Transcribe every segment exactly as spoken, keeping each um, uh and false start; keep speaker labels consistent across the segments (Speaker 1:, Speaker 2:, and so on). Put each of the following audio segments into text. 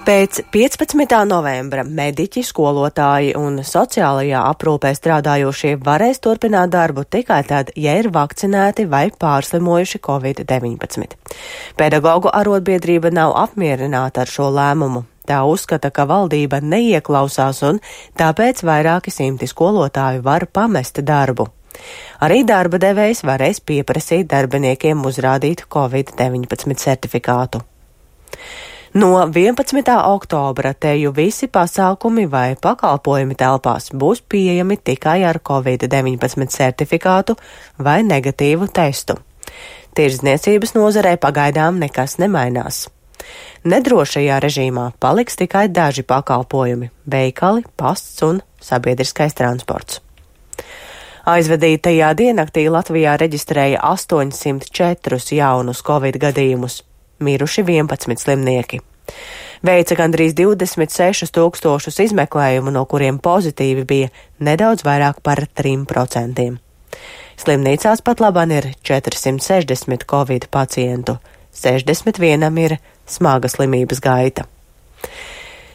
Speaker 1: Pēc piecpadsmitā novembra mediķi, skolotāji un sociālajā aprūpē strādājošie varēs turpināt darbu tikai tad, ja ir vakcinēti vai pārslimojuši covid deviņpadsmit. Pedagogu arotbiedrība nav apmierināta ar šo lēmumu. Tā uzskata, ka valdība neieklausās un tāpēc vairāki simti skolotāju var pamest darbu. Arī darba devējs varēs pieprasīt darbiniekiem uzrādīt covid deviņpadsmit certifikātu. No vienpadsmitā oktobra teju visi pasākumi vai pakalpojumi telpās būs pieejami tikai ar covid deviņpadsmit certifikātu vai negatīvu testu. Tirdzniecības nozarē pagaidām nekas nemainās. Nedrošajā režīmā paliks tikai daži pakalpojumi – veikali, pasts un sabiedriskais transports. Aizvadītajā diennaktī Latvijā reģistrēja astoņsimt četrus jaunus covid gadījumus. Miruši vienpadsmit slimnieki. Veica gandrīz divdesmit sešus tūkstošus izmeklējumu, no kuriem pozitīvi bija nedaudz vairāk par trim procentiem. Slimnīcās pat labāk ir četrsimt sešdesmit covid pacientu, sešdesmit vienam ir smaga slimības gaita.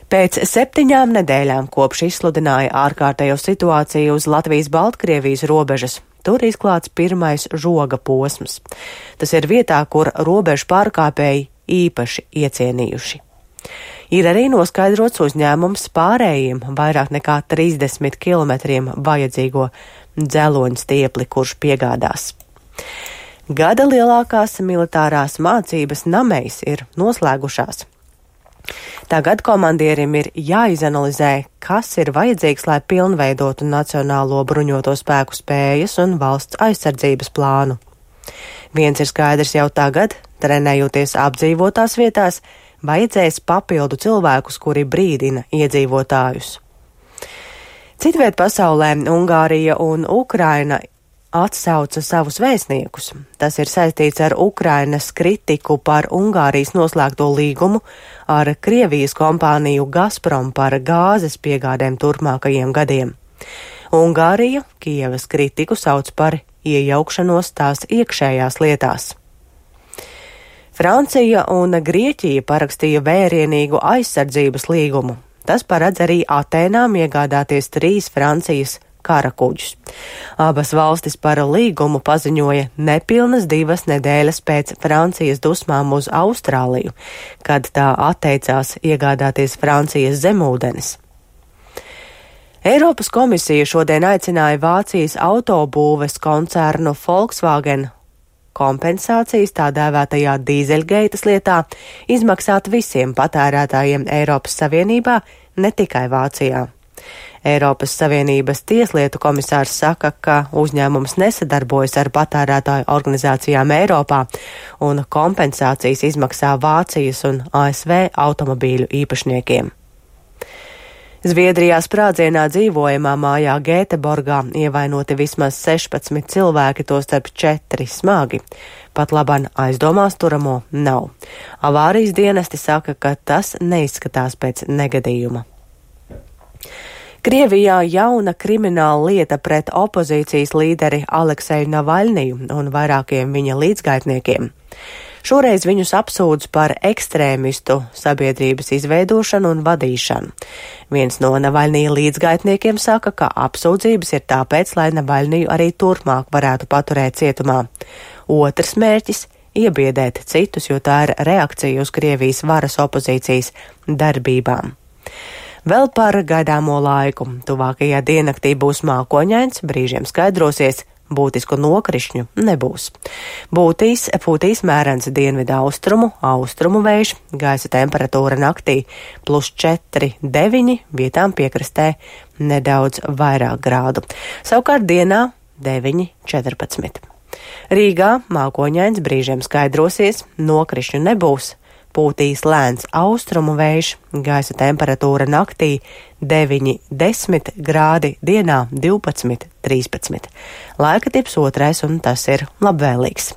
Speaker 1: Pēc septiņām nedēļām kopš izsludināja ārkārtējo situāciju uz Latvijas-Baltkrievijas robežas, tur izklāts pirmais žoga posms. Tas ir vietā, kur robežu pārkāpēji īpaši iecienījuši. Ir arī noskaidrots uzņēmums pārējiem vairāk nekā trīsdesmit kilometriem vajadzīgo dzeloņu stiepli, kurš piegādās. Gada lielākās militārās mācības Namejs ir noslēgušās. Tagad komandierim ir jāizanalizē, kas ir vajadzīgs, lai pilnveidotu Nacionālo bruņoto spēku spējas un valsts aizsardzības plānu. Viens ir skaidrs jau tagad, trenējoties apdzīvotās vietās, vajadzēs papildu cilvēkus, kuri brīdina iedzīvotājus. Citviet pasaulē Ungārija un Ukraina atsauca savus vēstniekus. Tas ir saistīts ar Ukrainas kritiku par Ungārijas noslēgto līgumu ar Krievijas kompāniju Gazprom par gāzes piegādēm turpmākajiem gadiem. Ungārija Kijevas kritiku sauc par iejaukšanos tās iekšējās lietās. Francija un Grieķija parakstīja vērienīgu aizsardzības līgumu. Tas paredz arī Atēnām iegādāties trīs Francijas karakuģus. Abas valstis par līgumu paziņoja nepilnas divas nedēļas pēc Francijas dusmām uz Austrāliju, kad tā atteicās iegādāties Francijas zemūdenes. Eiropas komisija šodien aicināja Vācijas autobūves koncernu Volkswagen kompensācijas tā dēvētajā dīzeļgeitas lietā izmaksāt visiem patērētājiem Eiropas Savienībā, ne tikai Vācijā. Eiropas Savienības tieslietu komisārs saka, ka uzņēmums nesadarbojas ar patērētāju organizācijām Eiropā un kompensācijas izmaksā Vācijas un A S V automobīļu īpašniekiem. Zviedrijā sprādzienā dzīvojamā mājā Gēteborgā ievainoti vismaz sešpadsmit cilvēki, tostarp četri smagi. Pat laban aizdomās turamo nav. Avārijas dienesti saka, ka tas neizskatās pēc negadījuma. Krievijā jauna krimināla lieta pret opozīcijas līderi Alekseju Navaļniju un vairākiem viņa līdzgaitniekiem. Šoreiz viņus apsūdz par ekstrēmistu sabiedrības izveidošanu un vadīšanu. Viens no Navaļnija līdzgaitniekiem saka, ka apsūdzības ir tāpēc, lai Navaļniju arī turpmāk varētu paturēt cietumā. Otrs mērķis – iebiedēt citus, jo tā ir reakcija uz Krievijas varas opozīcijas darbībām. Vēl par gaidāmo laiku. Tuvākajā diennaktī būs mākoņains, brīžiem skaidrosies, būtisku nokrišņu nebūs. Būtīs, pūtīs mērens dienvidu austrumu, austrumu vējš, gaisa temperatūra naktī plus četri, deviņi, vietām piekrastē nedaudz vairāk grādu. Savukārt dienā deviņi, četrpadsmit. Rīgā mākoņains, brīžiem skaidrosies, nokrišņu nebūs. Pūtīs lēns austrumu vējš, gaisa temperatūra naktī deviņi, desmit grādi, dienā divpadsmit, trīspadsmit. Laika tips otrais un tas ir labvēlīgs.